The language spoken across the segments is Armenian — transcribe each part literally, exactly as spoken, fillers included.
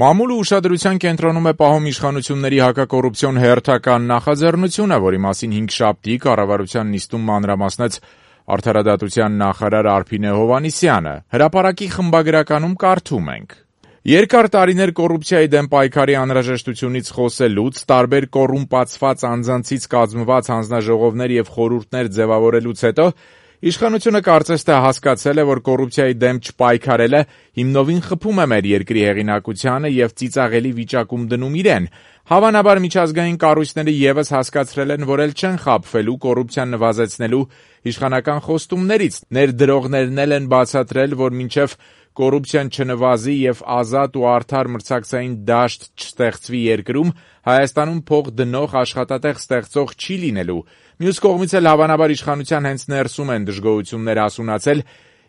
Մամուլը ուշադրության կենտրոնում է պահում իշխանությունների հակակոռուպցիոն հերթական նախաձեռնությունը, որի մասին հինգշաբթի կառավարության նիստում մանրամասնեց Արդարադատության նախարար Արփինե Հովհաննիսյանը։ Հրապարակի խմբագրականում կարդում ենք. Երկար տարիներ կոռուպցիայի դեմ պայքարի անհրաժեշտությունից խոսելուց, տարբեր կոռումպացված անձանցից կազմված հանձնաժողովներ եւ խորհուրդներ ձևավորելուց հետո իշխանությունը կարծես թե հասկացել է, որ կոռուպցիայի դեմ չպայքարելը հիմնովին խփում է մեր երկրի հեղինակությանը եւ ծիծաղելի վիճակում դնում իրեն։ Հավանաբար միջազգային կառույցները եւս հասկացրել են, որ էլ չեն խաբվելու կոռուպցիան նվազեցնելու իշխանական խոստումներից։ Ներդրողներն էլ են բացատրել, որ մինչեւ կոռուպցիան չնվազի եւ ազատ ու արդար մրցակցային դաշտ չստեղծվի երկրում, Հայաստանում փող դնող աշխատատեղ ստեղծող չի լինելու։ Մյուս կողմից էլ հավանաբար իշխանության հենց ներսում են դժգոհություններ հասունացել,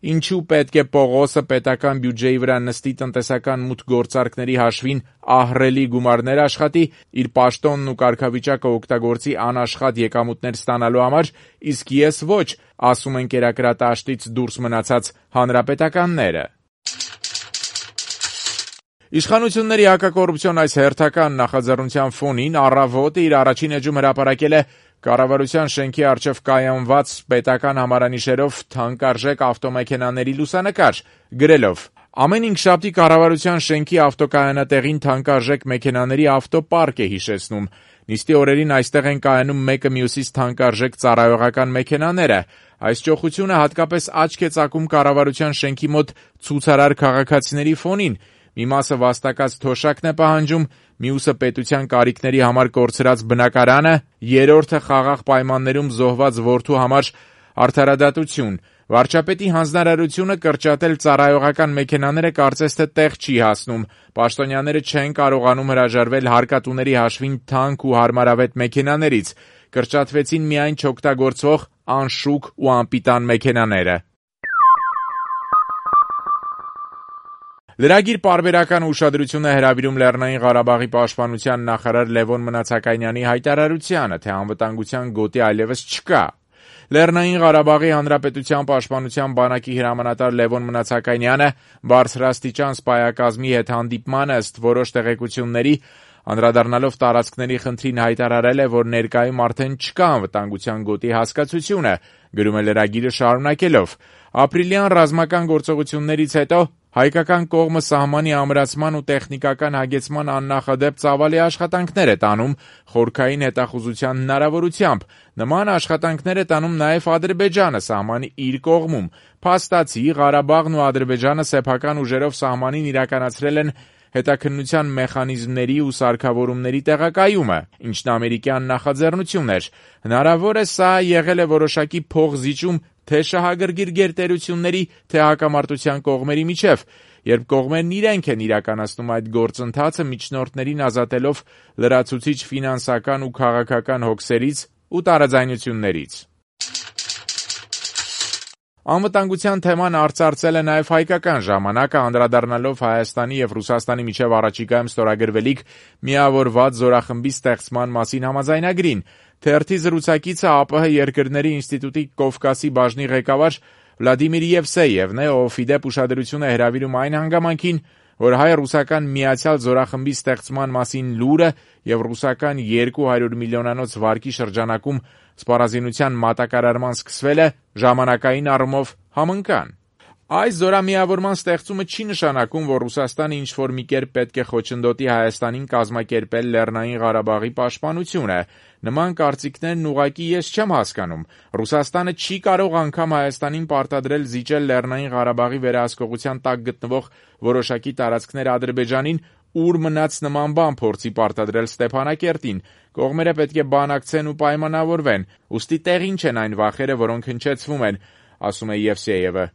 ինչու պետք է Պողոսը պետական բյուջեի վրա նստի տնտեսական մուտք գործարքների հաշվին ահռելի գումարներ աշխատի, իր պաշտոնն ու կարգավիճակը օգտագործի անաշխատ եկամուտներ ստանալու համար, իսկ ես ոչ, ասում են կերակրատաշտից դուրս մնացած հանրապետականները։ Իշխանությունների հակակոռուպցիոն այս հերթական նախաձեռնության ֆոնին Առավոտը իր առաջին էջում հրապարակել է կառավարության շենքի առջև կայանված պետական համարանիշերով թանկարժեք ավտոմեքենաների լուսանկար, գրելով. Ամեն հինգշաբթի կառավարության շենքի ավտոկայանատեղին թանկարժեք մեքենաների ավտոպարկ է հիշեցնում։ Նիստի օրերին այստեղ են կայանում մեկը մյուսից թանկարժեք ծառայողական մեքենաները։ Այս ճոխությունը հատկապես աչք է ծակում կառավարության շենքի մոտ ցուցարար քաղաքացիների ֆոնին։ Մի մասը վաստակած թոշակն է պահանջում, մյուսը պետության կարիքների համար կորցրած բնակարանը, երրորդը խաղաղ պայմաններում զոհված որդու համար արդարադատություն։ Վարչապետի հանձնարարությունը կրճատել ծառայողական մեքենաները կարծես թե տեղ չի հասնում։ Պաշտոնյաները չեն կարողանում հրաժարվել հարկատուների հաշվին թանկ ու հարմարավետ մեքենաներից։ Կրճատվեցին միայն չօգտագործվող անշուք ու անպիտան մեքենաները։ Լրագիր պարբերական ուշադրություն է հրավիրում Լեռնային Ղարաբաղի պաշտպանության նախարար Լևոն Մնացականյանի հայտարարությանը, թե անվտանգության գոտի այլևս չկա։ Լեռնային Ղարաբաղի Հանրապետության պաշտպանության բանակի հրամանատար Լևոն Մնացականյանը բարձրաստիճան սպայակազմի հետ հանդիպման ըստ որոշ տեղեկությունների անդրադառնալով տարածքների խնդրին հայտարարել է, որ ներկայում արդեն չկա անվտանգության գոտի հասկացությունը, գրում է լրագիրը շարունակելով. Ապրիլյան ռազմական գործողություններից հետո հայկական կողմը սահմանի ամրացման ու տեխնիկական հագեցման աննախադեպ ծավալի աշխատանքներ է տանում խորքային հետախուզության հնարավորությամբ։ Նման աշխատանքներ է տանում նաև Ադրբեջանը սահմանի իր կողմում։ Փաստացի Ղարաբաղն ու Ադրբեջանը սեփական ուժերով սահմանին իրականացրել են հետաքննության մեխանիզմների ու սարքավորումների տեղակայումը, ինչն ամերիկյան նախաձեռնություն էր։ Հնարավոր է սա եղել է որոշակի փողզիջում թե շահագրգիռ գերտերությունների, թե հակամարտության կողմերի միջև, երբ կողմերն իրենք են իրականացնում այդ գործընթացը միջնորդներին ազատելով լրացուցիչ ֆինանսական ու քաղաքական հոգսերից ու տարաձայնություններից։ Անվտանգության թեման արծարծել է նաև հայկական ժամանակը, անդրադառնալով Հայաստանի եւ Ռուսաստանի միջև առաջիկայում ստորագրվելիք միավորված զորախմբի ստեղծման մասին համաձայնագրին։ Թերթի զրուցակիցը ԱՊՀ երկրների ինստիտուտի Կովկասի բաժնի ղեկավար Վլադիմիր Եվսեևն է, ով ի դեպ ուշադրություն է հրավիրում այն հանգամանքին, որ հայ-ռուսական միացյալ զորախմբի ստեղծման մասին լուրը եւ ռուսական երկու հարյուր միլիոնանոց վարկի շրջանակում սպառազինության մատակարարման սկսվելը ժամանակային առումով համընկան։ Այս զորամիավորման ստեղծումը չի նշանակում, որ Ռուսաստանը ինչ-որ մի կերպ պետք է խոչընդոտի Հայաստանին կազմակերպել Լեռնային Ղարաբաղի պաշտպանությունը։ Նման կարծիքներն ուղղակի ես չեմ հասկանում։ Ռուսաստանը չի կարող անգամ Հայաստանին պարտադրել զիջել Լեռնային Ղարաբաղի վերահսկողության տակ գտնվող որոշակի տարածքներ Ադրբեջանին, ուր մնաց նման բան փորձի պարտադրել Ստեփանակերտին։ Կողմերը պետք է բանակցեն ու պայմանավորվեն։ Ուստի տեղին չեն այն վախերը, որոնք հնչեցվում են, ասում է Եվսեևը։